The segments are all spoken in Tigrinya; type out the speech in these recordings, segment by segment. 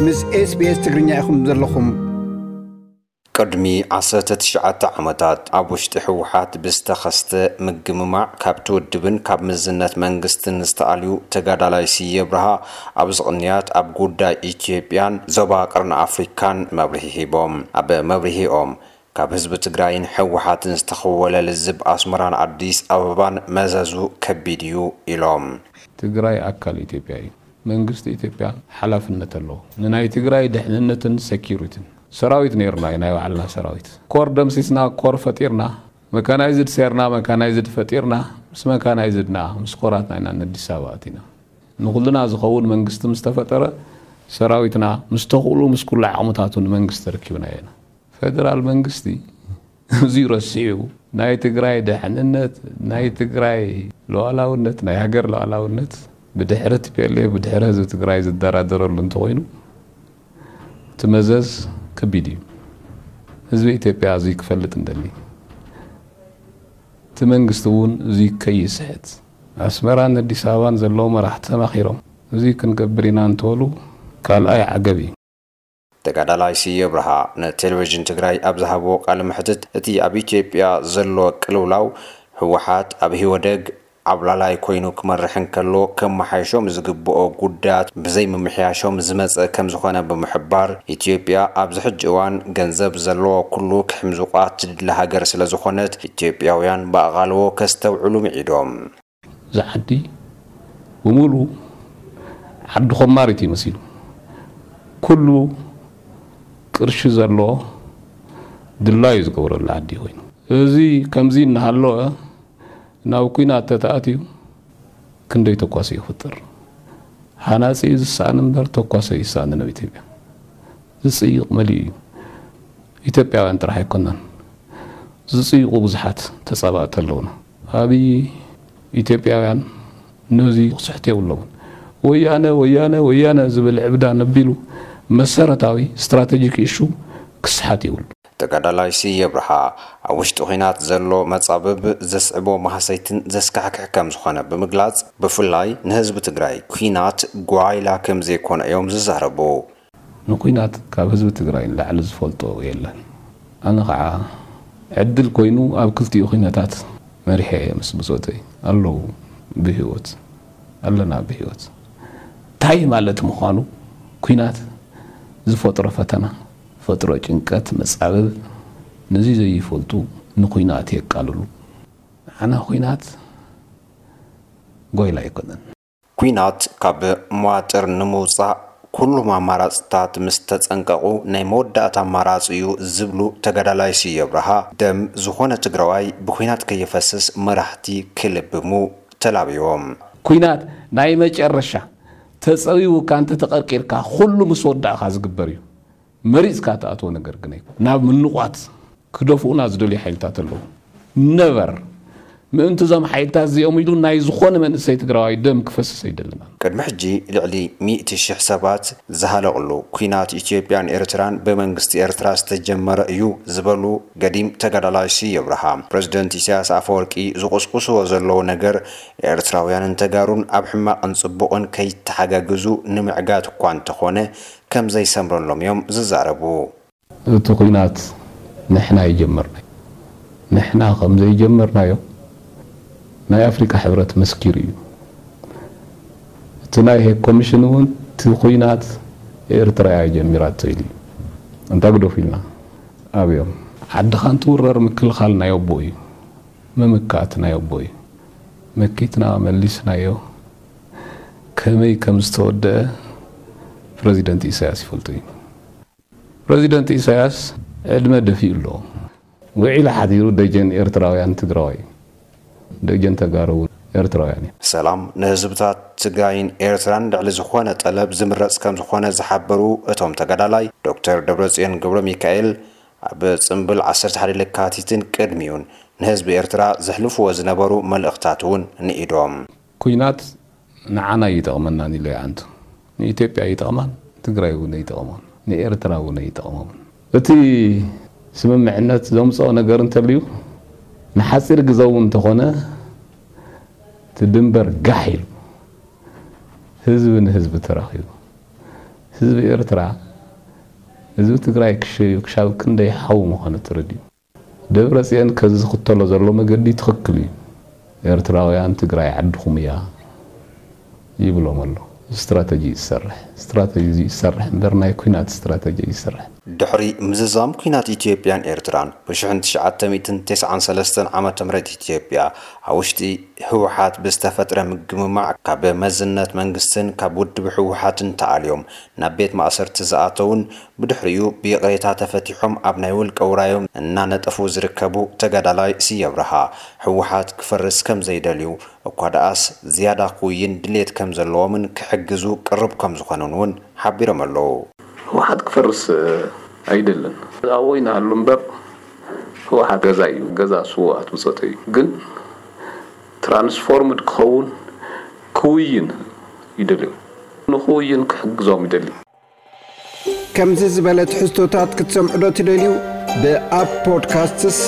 ምስ SBS ትግርኛ ኢኹም ዘለኹም። ቅድሚ ዓሰርተ ትሽዓተ ዓመታት ኣብ ውሽጢ ህወሓት ብዝተኸስተ ምግምማዕ ካብቲ ውድብን ካብ ምዝነት መንግስትን ዝተኣልዩ ተጋዳላይ ስየ ብርሃ ኣብዚ ቅንያት ኣብ ጉዳይ ኢትዮጵያን ዞባ ቀርኒ ኣፍሪካን መብርሂ ሂቦም። ኣብ መብርሂኦም ካብ ህዝቢ ትግራይን ህወሓትን ዝተኸወለ ልዝብ ኣስመራን ኣዲስ ኣበባን መዘዙ ከቢድ እዩ ኢሎም። ትግራይ ኣካል ኢትዮጵያ እዩ። መንግስቲ ኢትዮጵያ ሓላፍነት ኣለዎ ንናይ ትግራይ ድሕንነትን ሴኪሪቲን። ሰራዊት ነይርና እዩ፣ ናይ ባዕልና ሰራዊት። ኮር ደምሲስና፣ ኮር ፈጢርና፣ መካናይዝድ ሴርና፣ መካናይዝድ ፈጢርና፣ ምስ መካናይዝድና ምስ ኮራትና ኢና ነዲስ ኣበባ ኣቲና። ንኹልና ዝኸውን መንግስቲ ምስ ተፈጠረ ሰራዊትና ምስ ተኽእሉ ምስ ኩሉ ዓቕምታቱ ንመንግስቲ ተረኪብናዮ ኢና። ፌደራል መንግስቲ እዚ ረሲዑ ናይ ትግራይ ድሕንነት፣ ናይ ትግራይ ሉዓላውነት፣ ናይ ሃገር ሉዓላውነት ብድሕሪ ቲ ፒ ኤል ኤፍ፣ ብድሕሪ ህዝቢ ትግራይ ዝደራደረሉ እንተኾይኑ እቲ መዘዝ ከቢድ እዩ። ህዝቢ ኢትዮጵያ እዚ ክፈልጥ እንደሊ። እቲ መንግስቲ እውን እዚ ከይስሕት ኣስመራን ኣዲስ ኣበባን ዘለዉ መራሕቲ ተማኺሮም እዚ ክንገብር ኢና እንተበሉ ካልኣይ ዓገብ እዩ። ተጋዳላይ ስየ ብርሃ ንቴሌቪዥን ትግራይ ኣብ ዝሃብዎ ቃለ መሕትት እቲ ኣብ ኢትዮጵያ ዘሎ ቅልውላው ህወሓት ኣብ ህወደግ ዓብላላይ ኮይኑ ክመርሕ እንከሎ ከመሓይሾም ዝግብኦ ጉዳያት ብዘይምምሕያሾም ዝመፀ ከምዝኾነ ብምሕባር ኢትዮጵያ ኣብዚ ሕጂ እዋን ገንዘብ ዘለዎ ኩሉ ክሕምዙቓ ትድሊ ሃገር ስለዝኾነት ኢትዮጵያውያን ብኣቓልቦ ከስተውዕሉ ምዒዶም። እዚ ዓዲ ብምሉ ዓዲ ኮማሪት እዩ መሲሉ። ኩሉ ቅርሺ ዘለዎ ድላዩ ዝገብረሉ ዓዲ ኮይኑ እዚ ከምዚ እናሃለወ ናብ ኩናት ተተኣትዩ ክንደይ ተኳሲ ይፍጥር? ሃናጺ ዝሰኣን እምበር ተኳሲ ይሰኣንን ኣብ ኢትዮጵያ። ዝጽይቕ መሊኡ እዩ። ኢትዮጵያውያን ጥራሕ ኣይኮናን። ዝጽይቑ ብዙሓት ተጻባእቲ ኣለውና። ኣብይ ኢትዮጵያውያን ነዚ ክስሕት የብሎምን። ወያነ ወያነ ወያነ ዝብል ዕብዳን ኣቢሉ መሰረታዊ ስትራቴጂክ ኢሹ ክስሓት የብሉ። ተጋዳላይ ስየ ኣብርሃ ኣብ ውሽጢ ኲናት ዘሎ መጻብብ ዘስዕቦ ማህሰይትን ዘስካሕክሕ ከም ዝኾነ ብምግላጽ፣ ብፍላይ ንህዝቢ ትግራይ ኲናት ጓይላ ከም ዘይኮነ እዮም ዝዛረቡ። ንኲናት ካብ ህዝቢ ትግራይ ንላዕሊ ዝፈልጦ የለን። ኣነ ኸዓ ዕድል ኮይኑ ኣብ ክልቲኡ ኲነታት መሪሐ እየ ምስ ብጾተይ ኣለዉ ብህይወት ኣለና ብህይወት። እንታይ ማለት ምዃኑ ኲናት ዝፈጥሮ ፈተና ፈጥሮ ጭንቀት መጻብብ ነዚ ዘይፈልጡ ንኹናት የቃልሉ። ንዓና ኹናት ጎይላ ኣይኮነን። ኲናት ካብ መዋጥር ንምውጻእ ኩሉም ኣማራፅታት ምስ ተፀንቀቑ ናይ መወዳእታ ኣማራፂ እዩ ዝብሉ ተጋዳላይ ስየ ኣብርሃ፣ ደም ዝኾነ ትግራዋይ ብኲናት ከይፈስስ መራሕቲ ክልብሙ ተላብዮም። ኲናት ናይ መጨረሻ ተፀዊውካ እንተተቐርቂርካ ኩሉ ምስ ወዳእኻ ዝግበር እዩ። መሪፅካ ትኣትዎ ነገር ግን ኣይኮን። ናብ ምንቋት ክደፍኡና ዝደልዩ ሓይልታት ኣለዉ። ነቨር ምእንቲ እዞም ሓይልታት እዚኦም ኢሉ ናይ ዝኾነ መንእሰይ ትግራዋይ ደም ክፈስስ ኣይደልናን። ቅድሚ ሕጂ ልዕሊ ሚእቲ ሽሕ ሰባት ዝሃለቕሉ ኲናት ኢትዮጵያን ኤርትራን ብመንግስቲ ኤርትራ ዝተጀመረ እዩ ዝበሉ ገዲም ተጋዳላይ ስየ ኣብርሃ፣ ፕረዚደንት ኢሳያስ ኣፈወርቂ ዝቑስቁስዎ ዘለዉ ነገር ኤርትራውያንን ተጋሩን ኣብ ሕማቕን ጽቡቕን ከይተሓጋገዙ ንምዕጋት እኳ እንተኾነ ከም ዘይሰምረሎም እዮም ዝዛረቡ። እቲ ኹናት ንሕና ኣይጀመርናዮ። ንሕና ከም ዘይጀመርናዮ ናይ ኣፍሪቃ ሕብረት መስኪሩ እዩ። እቲ ናይ ሄግ ኮሚሽን እውን እቲ ኹናት ኤርትራ እያ ጀሚራቶ ኢሉ እዩ። ኣንታ ግደፉ ኢልና ኣብዮም። ዓድኻ እንትውረር ምክልኻል ናይ ኣቦ እዩ። ምምካት ናይ ኣቦ እዩ። መኪትና መሊስናዮ። ከመይ ከም ዝተወደአ ፕረዚደንት ኢሳያስ ይፈልጦ እዩ። ፕረዚደንት ኢሳያስ ዕድመ ደፊኡ ኣሎ። ውዒሉ ሓዲሩ ደጀን ኤርትራውያን ትግራዋይ እዩ። ደጀን ተጋሩ እውን ኤርትራውያን እዮም። ሰላም ንህዝብታት ትግራይን ኤርትራን ልዕሊ ዝኾነ ጠለብ ዝምረፅ ከም ዝኾነ ዝሓበሩ እቶም ተጋዳላይ፣ ዶክተር ደብረፅዮን ገብረሚካኤል ኣብ ፅምብል ዓሰርተ ሓደ ለካቲትን ቅድሚኡን ንህዝቢ ኤርትራ ዘሕልፍዎ ዝነበሩ መልእኽታት እውን ንኢዶም። ኲናት ንዓና ኣይጠቕመናን ኢሉ ይዓንቱ። ንኢትዮጵያ ኣይጠቕማን፣ ትግራይ እውን ኣይጠቕሞን፣ ንኤርትራ እውን ኣይጠቕሞምን። እቲ ስምምዕነት ዘምፅኦ ነገር እንተልዩ ንሓፂር ግዘ እውን እንተኾነ እቲ ድንበር ጋሕ ኢሉ ህዝቢ ንህዝቢ ተራኺቡ ህዝቢ ኤርትራ፣ ህዝቢ ትግራይ ክሸዩ ክሻብ ክንደይ ሓው ምዃኑ ተረዲኡ። ደብረ ጽዮን ከዚ ዝኽተሎ ዘሎ መገዲ ትኽክል እዩ። ኤርትራውያን ትግራይ ዓድኹም እያ ይብሎም ኣሎ። ስትራተጂ ይሰርሕ። ስትራተጂ ይሰርሕ እምበር ናይ ኲናት ስትራተጂ ይሰርሕ። ድሕሪ ምዝዛም ኲናት ኢትዮጵያን ኤርትራን ብ ሽሕን ትሽዓተ ሚእትን ተስዓን ሰለስተን ዓመተ ምህረት ኢትዮጵያ ኣብ ውሽጢ ህወሓት ብዝተፈጥረ ምግምማዕ ካብ መዝነት መንግስትን ካብ ውድብ ህወሓትን ተኣልዮም ናብ ቤት ማእሰርቲ ዝኣተውን ብድሕሪኡ ብይቕሬታ ተፈቲሖም ኣብ ናይ ውልቀ ውራዮም እናነጠፉ ዝርከቡ ተጋዳላይ ስየ ኣብርሃ ህወሓት ክፈርስ ከም ዘይደልዩ እኳ ደኣስ ዝያዳ ክውይን ድሌት ከም ዘለዎምን ክሕግዙ ቅርብ ከም ዝኾኑን እውን ሓቢሮም ኣለዉ። ህወሓት ክፈርስ ኣይደልን ኣብኡ ይንሃሉ እምበር ህወሓት ገዛ እዩ። ገዛ ስውኣት ብፆተ እዩ። ግን ትራንስፎርምድ ክኸውን ክውይን ይደልዩ። ንክውይን ክሕግዞም ይደሊ። ከምዚ ዝበለ ትሕዝቶታት ክትሰምዑ ዶ ትደልዩ? ብኣፕ ፖድካስትስ፣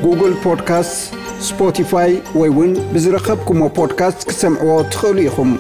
ጉግል ፖድካስትስ፣ ስፖቲፋይ ወይ እውን ብዝረኸብኩሞ ፖድካስት ክትሰምዕዎ ትኽእሉ ኢኹም።